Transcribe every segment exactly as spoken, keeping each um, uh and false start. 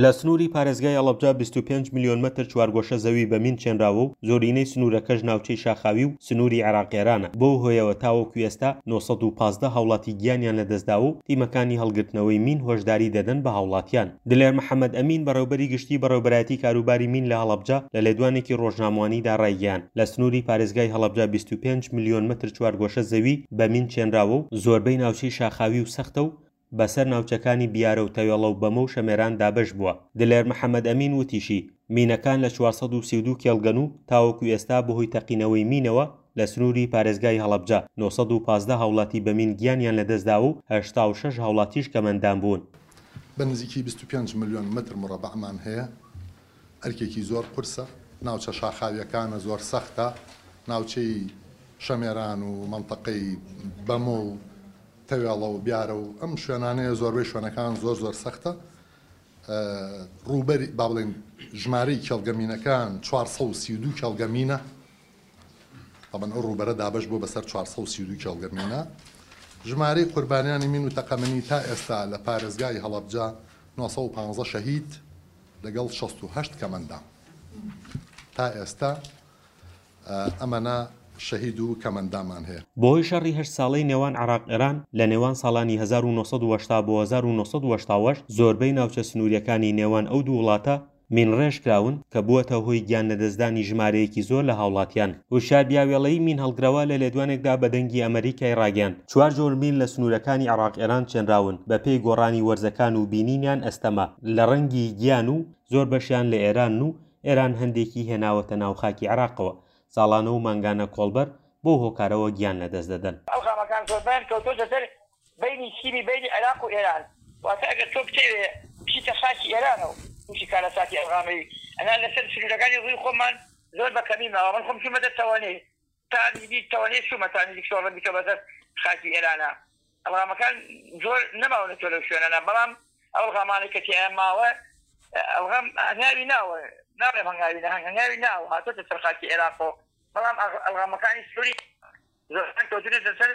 لە سنووری پارێزگای هەڵەبجە بیست و پێنج ملیۆن مەتر چوارگۆشە زەوی بە مین چێنراوە و زۆرینەی سنوورەکەش ناوچەی شاخاوی و سنووری عێراق ئێرانە، بەو هۆیەوە تاوەکو ئێستا نۆ سەد و پازدە هاوڵاتی گیانیان لەدەستداوە و تیمەکانی هەڵگرتنەوەی مین هۆشداری دەدەن بە هاوڵاتیان. دلێر محەمەد ئەمین، بەڕێوبەری گشتی بەڕێوبەرایەتی کاروباری مین لە هەڵەبجە لە لێدوانێکی ڕۆژنامەوانیدا ڕایگەیاند، لە سنووری پارێزگای هەڵەبجە بیست و پێنج ملیۆن مەتر چوارگۆشە زەوی بە مین چێنراوە و زۆربەی ناوچەی شاخاوی و سەختە و بەسەر ناوچەکانی بیارە و تەوێڵە و بەمۆ و شەمێران دابەش بووە. دلێر محەمەد ئەمین وتیشی، مینەکان لە چوار سەد و سی و دوو کێڵگەن و تاوەکو ئێستا بەهۆی تەقینەوەی مینەوە لە سنووری پارێزگای هەڵەبجە نۆ سەد و پازدە هاوڵاتی بە مین گیانیان لەدەستداوە و هەشتا و شەش هاوڵاتیش کەمەندام بوون. بە نزیکی بیست و پێنج ملیۆن متر مڕەبەعمان هەیە، ئەرکێکی زۆر قورسە، ناوچە شاخاویەکانە زۆر سەختە، ناوچەی شەمێران و مەنتەقەی بەمۆ و تەوێڵە و بیارە و ئەم شوێنانەیە زۆربەی شوێنەکان زۆر زۆر سەختە. ڕووبەری با بڵێن ژمارەی کێڵگەمینەکان چوار سەد و سی و دوو کێڵگەمینە، طبعاً ئەو ڕووبەرە دابەش بووە بەسەر چوار سەد و سی و دوو کێڵگەمینە. ژمارەی قوربانیانی مین و تەقەمەنی تا ئێستا لە پارێزگای هەڵەبجە نۆ سەد و پازدە شەهید لەگەڵ شەست و هەشت کەمەندام تا ئێستا ئەمەنا شەهید و کەمەندامان هەیە. بەهۆی شەڕی هەشت ساڵەی نێوان عێراق ئێران لە نێوان ساڵانی هەزار و نۆ سەد و هەشتا بۆ هەزار و نۆ سەد و هەشتا و هەشت زۆربەی ناوچە سنووریەکانی نێوان ئەو دوو وڵاتە مین ڕێژ کراون کە بووەتە هۆی گیان لەدەستدانی ژمارەیەکی زۆر لە هاوڵاتیان. هوشیار بیاوێڵەی مین هەڵگرەوە لە لێدوانێکدا بە دەنگی ئەمریکای ڕاگەیاند چوار جۆر مین لە سنوورەکانی عێراق ئێران چێنراون بە پێی گۆڕانی وەرزەکان و بینینیان ئەستەمە لە ڕەنگی گیان و زۆر بەشیان لە ئێران و ئێران هەندێکی هێناوەتە ناو خاکی عێراقەوە. ساڵانە و مانگانە کۆڵبەر بۆ هۆکارەوە گیان لەدەست دەدەن. ئەلغامەکان زۆربیان کەوتۆتە سەر بینی سیمی بینی عێراق و ئێران، واتە ئەگەر تۆ بتەوێ بچیتە خاکی ئێرانەوە تووشی کارەساتی ئەلغامەوی ئەنا لەسەر سنوورەکانی ڕووی خۆمان زۆر بە کەمی ماوە. من خۆم چوومەتە تەوانێ تا نزیک تەوانێ چوومە تا نزیک شۆڕە بیتەوە بەسەر خاکی ئێرانە. ئەلغامەکان زۆر نەماونەتەوە لەو شوێنانە، بەڵام ئەو ئەلغامانەی کە تیایان ماوە ئەلغام هەنگاوی ناوە، ناڵێم هەنگاوی نا، هەنگاوی ناوە هاتۆتە سەر خاکی عێراقەوە، بەڵام ئەلغامەکانی سنووری زۆربیان کەوتونەتە سەر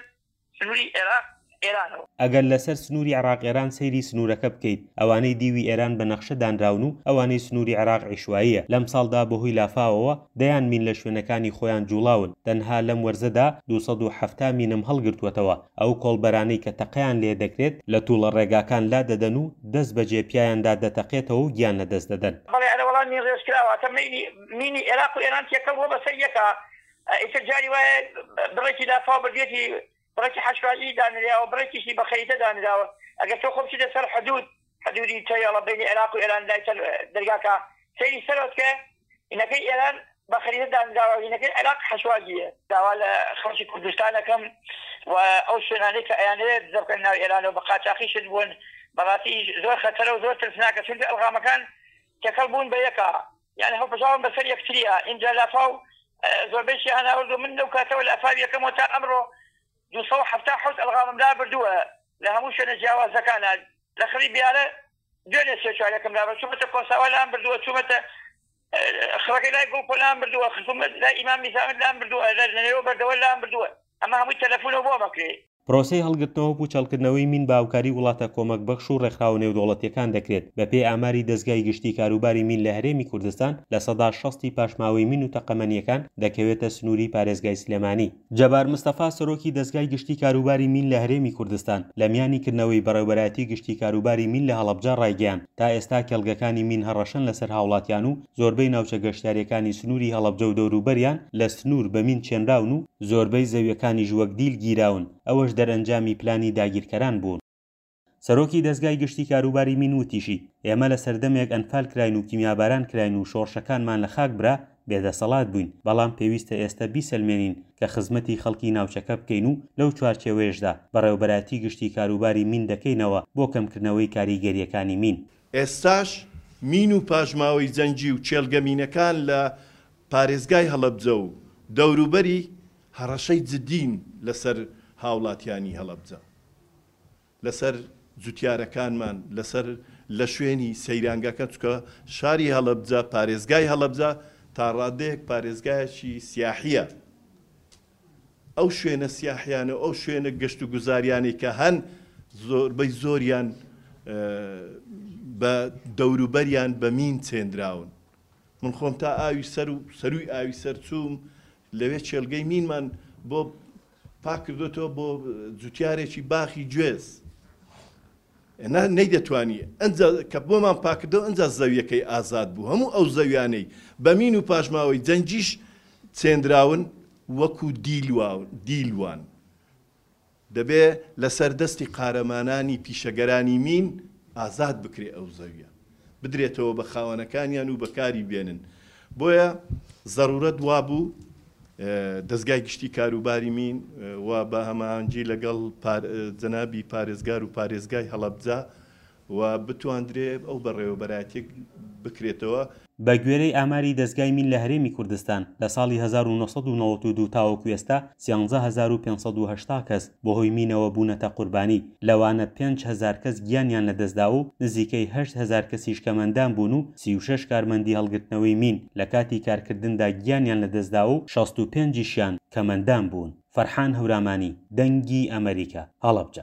سنووری عێراق ئێرانەوە. ئەگەر لەسەر سنووری عێراق ئێران سەیری سنوورەکە بکەیت، ئەوانەی دیوی ئێران بە نەخشە دانراون و ئەوانەی سنووری عێراق عیشواییە. لەم ساڵدا بەهۆی لافاوەوە دەیان مین لە شوێنەکانی خۆیان جوڵاون، تەنها لەم وەرزەدا دوو سەد و حەفتا مینم هەڵگرتووەتەوە. ئەو کۆڵبەرانەی کە تەقەیان لێ دەکرێت لە توڵە ڕێگاکان لا دەدەن و دەست بەجێ پیایاندا دەتەقێتەوە و گیان لەدەست دەدەن. بەڵێ ئەرە وەڵام مین ڕێژ کراوە، تە مینی عێراق و ئێران تێکەڵ بووە بەسەر یەکە. ئیتر جاری وایە بڕێکی لافاو بردێتی، بڕێکی حەشوایی دانراوە، بڕێکیشی بە خەریتە دانراوە. ئەگەر تۆ خۆ بچیتە سەر حدود، حدودی تەوێڵە بینی عێراق و ئێران لای سەر دەرگاکە سەیری سەرەوە بکە، هینەکەی ئێران بە خەریتە دانراوە، هینەکەی عێراق حەشواجیە. داوا لە خەڵکی کوردستانەکەم و ئەو شوێنانەی کە ئەیانەوێت دزە بکەن ناو ئێرانەوە بە قاچاقی شت بوون، بەڕاستی زۆر خەتەرە و زۆر ترسناکە، چونکە ئەلغامەکان تێکەڵ بوون بە یەکە، یعنی هەڵپژاون بەسەر یەکتریە. ئینجا لافاو زۆربەیشیان هاوردو من لەو کاتەوە لافاو یەکەمەوە تا ئەمڕۆ دوو سەد و حەفتا حەوت ئەلغامم لابردووە لە هەموو شوێنە جیاوازەکانە. لە خڕی بیارە دوێنێ سێ چوارێکم لابرد، چوومەتە کۆساوا لام بردووە، چوومەتە خڕەکەی لای گوڵپۆ لام بردووە، خزومەت لای ئیمام نیزامت لام بردووە، لە نێوە بەردەوە لام بردووە. ئەمە هەمووی تەلەفۆنەوە بۆ مەکرێ. پرۆسەی هەڵگرتنەوە و پوچەڵکردنەوەی مین بە هاوکاری وڵاتە کۆمەک بەخش و ڕێکخراوە نێودەوڵەتیەکان دەکرێت. بەپێی ئاماری دەزگای گشتی کاروباری مین لە هەرێمی کوردستان لە سەدا شەستی پاشماوەی مین و تەقەمەنیەکان دەکەوێتە سنووری پارێزگای سلێمانی. جەبار مستەفا سەرۆکی دەزگای گشتی کاروباری مین لە هەرێمی کوردستان لە میانی کردنەوەی بەڕێوەبەرایەتی گشتی کاروباری مین لە هەڵەبجە ڕایگەیاند تا ئێستا کێڵگەکانی مین هەڕەشەن لەسەر هاوڵاتیان و زۆربەی ناوچە گەشتیاریەکانی سنووری هەڵەبجە و دەوروبەریان لە سنوور بە مین چێنراون و زۆربەی زەویەکانیش وەک دیل گیراون، ئەوەش دەرئەنجامی پلانی داگیرکەران بوون. سەرۆکی دەزگای گشتی کاروباری مین وتیشی ئێمە لە سەردەمێک ئەنفال کراین و کیمیاباران کراین و شۆڕشەکانمان لە خاک برا بێدەسەڵات بووین، بەڵام پێویستە ئێستا بیسەلمێنین کە خزمەتی خەڵکی ناوچەکە بکەین و لەو چوارچێوەیەشدا بەڕێوەبەرایەتی گشتی کاروباری مین دەکەینەوە بۆ کەمکردنەوەی کاریگەریەکانی مین. ئێستاش مین و پاشماوەی جەنگی و کێڵگەمینەکان لە پارێزگای هەڵەبجە و دەوروبەری هەڕەشەی جدین لەسەر هاوڵاتیانی هەڵەبجە، لەسەر جوتیارەکانمان، لەسەر لە شوێنی سەیرانگەکە، چونکە شاری هەڵەبجە، پارێزگای هەڵەبجە تا ڕادەیەک پارێزگایەکی سیاحیە. ئەو شوێنە سیاحیانە و ئەو شوێنە گەشت و گوزاریانەی کە هەن زۆربەی زۆریان بە دەوروبەریان بە مین چێندراون. من خۆم تا ئاوی سەر و سەرووی ئاوی سەر چووم، لەوێ کێڵگەی مینمان بۆ پاک کردۆتەوە بۆ جوتیارێکی باخی گوێز. نا نەیدەتوانی، ئەنجا کە بۆمان پاک کردەوە ئەنجا زەویەکەی ئازاد بوو. هەموو ئەو زەویانەی بە مین و پاشماوەی جەنگیش چێندراون وەکو دیل وان. دەبێ لەسەر دەستی قارەمانانی پیشەگەرانی مین ئازاد بکرێ ئەو زەویە بدرێتەوە بە خاوەنەکانیان و بەکاری بێنن. بۆیە زەرورەت وابوو دەزگای گشتی کاروباری مین و بە هەماهەنگی لەگەڵ جەنابی پارێزگار و پارێزگای هەڵەبجە و بتواندرێ ئەو بەڕێوەبەرایەتیەک بکرێتەوە. بە گوێرەی ئاماری دەزگای مین لە هەرێمی کوردستان، لە ساڵی هەزار و نۆ سەد و نەوەد و دوو تاوەکو ئێستا سیانزە هەزار و پێنج سەد و هەشتا کەس بەهۆی مینەوە بوونەتە قوربانی، لەوانە پێنج هەزار کەس گیانیان لەدەستداوە و نزیکەی هەشت هەزار کەسیش کەمئەندام بوون و سی و شەش کارمەندی هەڵگرتنەوەی مین لەکاتی کارکردندا گیانیان لەدەستداوە و شەست و پێنج یشیان کەمئەندام بوون. فەرحان هەورامانی، دەنگی ئەمەریکا، هەڵەبجە.